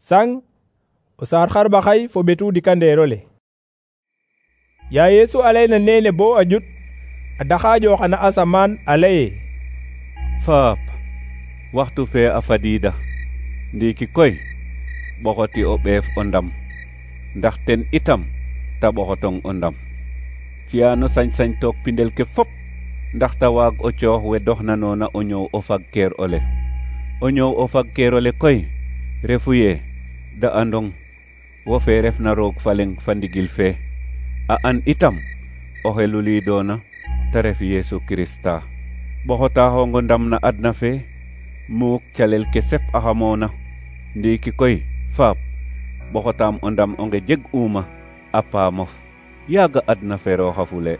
Sang o saar xarɓaxay fo ɓetu dikandeerole. Ya Yesu a layna nene bo a ƴut, a daxaaƴo xana asamaan a laye: Faap, waxtu fe a fadiida. Ndiiki koy ɓoxoti o ɓeef o ndam, ndax ten itam ta ɓoxotong o ndam. Ci'ano sañ-sañ took pindel ke fop, ndax ta waag o coox we doxnanoona o ñoow o fagkeer ole. O ñoow o fagkeer ole koy refu ye da andong wo fe refna roog fa leŋ fa ndigil fe, a an itam oxe luliidoona ta ref Yesu Kirista. Ɓoxotaaxongo ndam na adna fe muuk calel ke sep axamoona. Ndiiki koy Faap, ɓoxotaam o ndam onge jeg'uuma a paamof, yaaga adna ferooxa fule.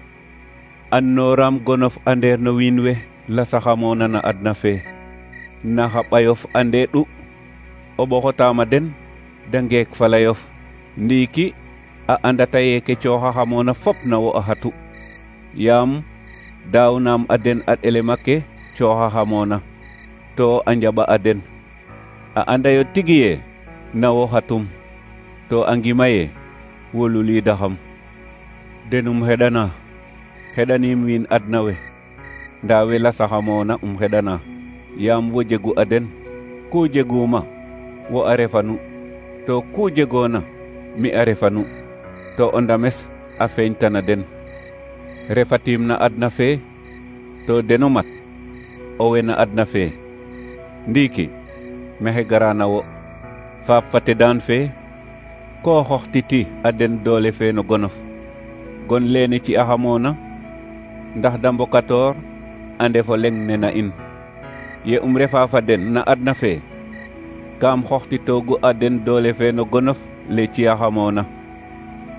Annooraam gonof andeer no wiin we lasaxamoona na adna fe, na xa ɓayof ande ɗu. O ɓoxotaama den da ngeek falayof. Ndiiki a andata ye ke cooxaxamoona fop na wo a xatu, yaam daawnaam a den a ɗelema ke cooxaxamoona, to a njaɓa a den. A andayo tigi ye na wo xatum, to a ngima ye wo luliidaxam. Denum xeɗana, xeɗaniim wiin adna we, ndaa we lasaxamoona xeɗana, yaam wo jegu a den. Ku jeguuma wo a refanu, to ku jegoona mi a refanu, to o ndames a feeñtana den. Refatiim na adna fe, to deno mat o we na adna fe. Ndiiki maxey gara na wo, Faap fa tedaan fe, ko xoxtiti a den doole fe no gonof. Gon leene ci axamoona, ndax da mbokatoor a ndefo leŋ ne na in. Ye refa fa den na adna fe, kaam xoxtitoogu a den doole fe no gonof le ci axamoona.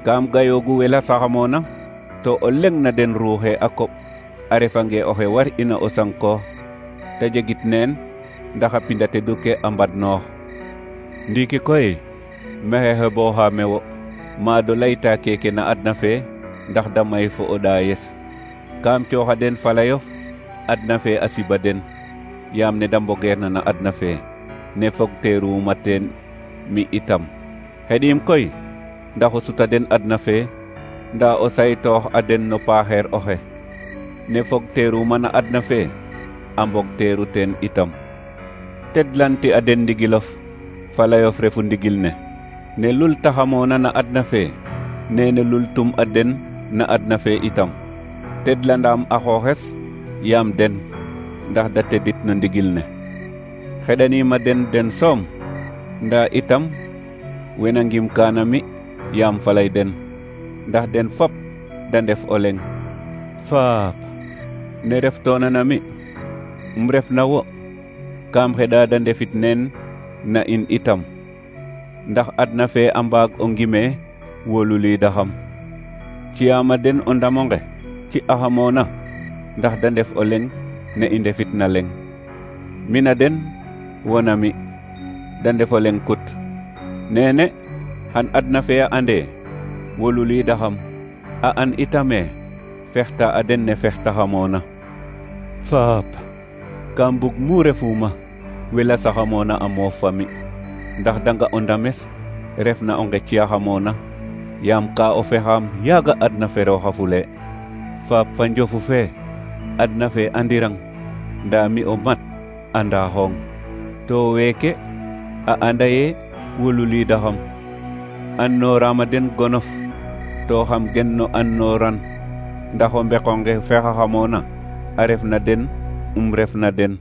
Kaam gayoogu we lasaxamoona, to o leŋ na den ruuxe a koɓ, a refange oxe war ina o sankoox, ta jegit neen ndax a pinda tedu ke a mbadnoox. Ndiiki koy maxey xebooxa me wo, maado layta keke na adna fe, ndax da may fo o ɗaayes. Kaam cooxa den falayof, adna fe a siba den, yaam ne da mbogeerna na adna fe, ne fogteeruuma teen mi itam. Xeɗiim koy ndax o suta den adna fe, ndaa o saytoox a den no paaxeer oxe. Ne fogteeruuma na adna fe, a mbogteeru teen itam. Tedlanti a den ndigilof, falayof refu ndigil ne. Ne lultaxamoona na adna fe, nene lultum a den na adna fe itam. Tedlandaam a xooxes, yaam den, ndax da tedit no ndigil ne. Xeɗaniima den soom, ndaa itam wena ngimkaana mi, yaam falay den, ndax den fop da ndef o leŋ. Faap, ne reftoona na mi, ref na wo, kaam xeɗa da ndefit neen na in itam, ndax adna fe a mbaag o ngime wo luliidaxam. Ci'aama den o ndamonge ci axamoona, ndax da ndef o leŋ ne i ndefit na leŋ. Mi na den, wo na mi, da ndef o leŋ kut. Nene xan adna fe a ande wo luliidaxam, a an itame fexta a den ne fextaxamoona. Faap, kam bug mu refuuma we lasaxamoona a moof fa mi, ndax danga o ndames refna o ngeci'axamoona, yaam ka o fexaam yaaga adna ferooxa fule. Faap fa njofu fe, adna fe andirang, ndaa mi o mat andaaxong, to weeke a anda ye wo luliidaxam. Annooraama den gonof, to xam gen no annooran, ndax o mbeqonge fexaxamoona a ref na den, ref na den.